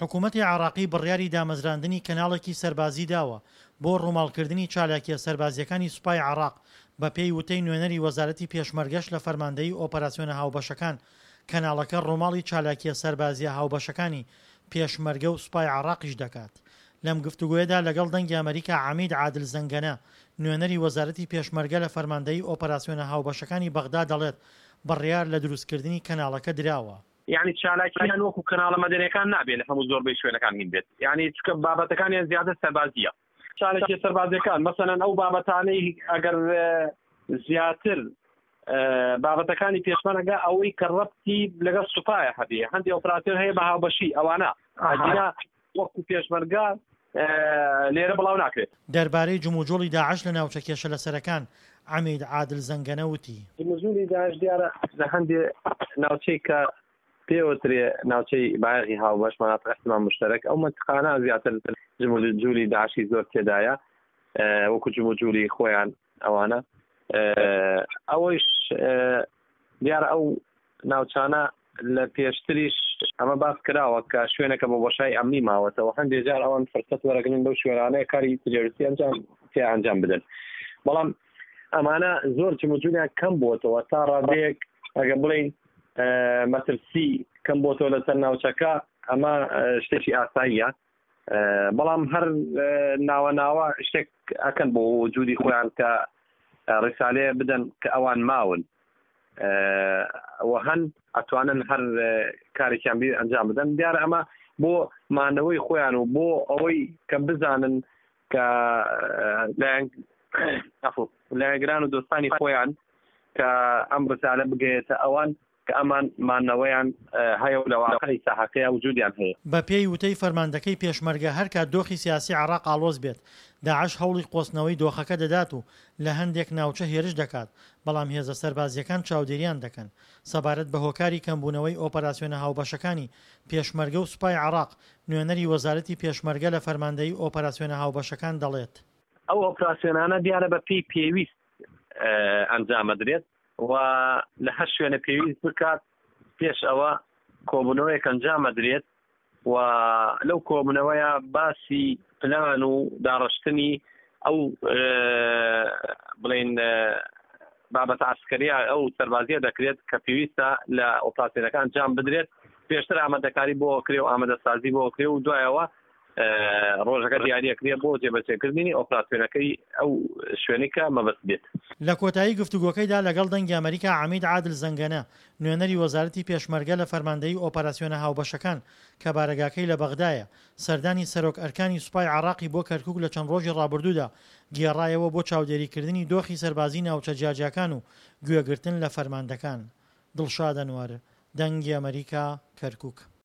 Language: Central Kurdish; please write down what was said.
حکومەتی عێراقی بڕیاری دامەزراندنی کەناڵێکی سەربازی داوە بۆ ڕووماڵکردنی چالاکییە سەربازییەکانی سوپای عێراق، بەپێی وتەی نوێنەری وەزارەتی پێشمەرگەش لە فەرماندەیی ئۆپەراسیۆنە هاوبەشەکان، کەناڵەکە ڕووماڵی چالاکییە سەربازییە هاوبەشەکانی پێشمەرگە و سوپای عێراقیش دەکات. لەم گفتوگۆیەدا لەگەڵ دەنگی ئەمەریکا عەمید عادل زەنگەنە، نوێنەری وەزارەتی پێشمەرگە لە فەرماندەیی ئۆپەراسیۆنە هاوبەشەکانی بەغدا دەڵێت بڕیار لە دروستکردنی کەناڵەکە دراوە. یانی چالاکیان وەکو کەناڵە مەدەنیەکان نابێ لە هەموو زۆربەی شوێنەکان هین بێت یانی چکە بابەتەکانیان زیاتر سەربازیە چالاکیە سەربازیەکان مەسەلەن ئەو بابەتانەی ئەگەر زیاتر بابەتەکانی پێشمەرگە ئەوەی کە ڕەبتی لەگەڵ سوپایە هەبێ هەندێک ئۆپراسیۆن هەیە بە هاوبەشی ئەوانە ئەگینا وەکو پێشمەرگە لێرە بڵاو ناکرێت. دەربارەی جموجوڵی داعش لە ناوچە کێشە لەسەرەکان، عەمید عادل زەنگەنە وتی. جموجوڵی داعش دیارە لە هەندێ ناوچەی کە پێوترێ ناوچەی بایەخی هاوبەش، مناطق اهتمام مشترک، ئەو مەنتقانە زیاتر جموجولی داعشی زۆر تێدایە وەکو جموجولی خۆیان ئەوانە ئەوەیش دیارە ئەو ناوچانە لە پێشتریش ئەمە باس کراوە کە شوێنەکە بۆ بۆشای ئەمنی ماوەتەوە هەندێک جار ئەوان فرسەت وەرەگرن لەو شوێنانەیە کاری تیرۆریستی ئەنجام تیا ئەنجام بدەن بەڵام ئەمانە زۆر جموجولیان کەم بووەتەوە تا ڕادەیەک ئەگە بڵین مەترسی کەم بۆتەوە لەسەر ناوچەکە ئەمە شتێکی ئاساییە بەڵام هەر ناوە ناوە شتێک ئەکەن بۆ وجودی خۆیان کە ڕسالەیە بدەن کە ئەوان ماون و هەن ئەتوانن هەر کارێکیان بیر ئەنجام بدەن دیارە ئەمە بۆ مانەوەی خۆیان و بۆ ئەوەی کە بزانن کە لایەنگران و دۆستانی خۆیان کە ئەم ڕسالە بگەیەتە ئەوان کە ئەمان مانەوەیان هەیە و لە واقعی ساحەکەیا وجودیان هەیە. بە پێی وتەی فەرماندەکەی پێشمەرگە هەرکات دۆخی سیاسی عێراق ئاڵۆز بێت، داعش هەوڵی قۆستنەوەی دۆخەکە دەدات و لە هەندێک ناوچە هێرش دەکات، بەڵام هێزە سەربازییەکان چاودێریان دەکەن. سەبارەت بە هۆکاری کەمبوونەوەی ئۆپەراسیۆنە هاوبەشەکانی پێشمەرگە و سوپای عێراق، نوێنەری وەزارەتی پێشمەرگە لە فەرماندەیی ئۆپەراسیۆنە هاوبەشەکان دەڵێت. ئەو ئۆپراسیۆنانە دیارە بە پێی پێویست ئەنجامەدرێت و لە هەر شوێنە پێویست بکات پێش ئەوە کۆبوونەوەیەک ئەنجامەدرێت و لەو کۆبوونەوەیە باسی پلان و داڕشتنی ئەو بڵین بابەتە عسکەریە ئەو سەربازیە دەکرێت کە پێویستە لە ئۆپراسیۆنەکە ئەنجام بدرێت پێشتر ئامادەکاری بۆ کرێ و ئامادەسازی بۆ کرێ و دوایەوە ڕۆژەکە دیاریەکرێ بۆ جێبەجێکردنی ئۆپراسیۆنەکەی ئەو شوێنەی کە مەبەست بێت. لە کۆتایی گفتوگۆکەیدا لەگەڵ دەنگی ئەمەریکا عەمید عادل زەنگەنە، نوێنەری وەزارەتی پێشمەرگە لە فەرماندەیی ئۆپەراسیۆنە هاوبەشەکان کە بارەگاکەی لە بەغدایە، سەردانی سەرۆک ئەرکانی سوپای عێراقی بۆ کەرکوک لە چەند ڕۆژی ڕابردوودا گێڕایەوە بۆ چاودێریکردنی دۆخی سەربازی ناوچە جیاجیاکان و گوێگرتن لە فەرماندەکان. دڵشاد ئەنوەر، دەنگی ئەمەریکا، کەرکوک.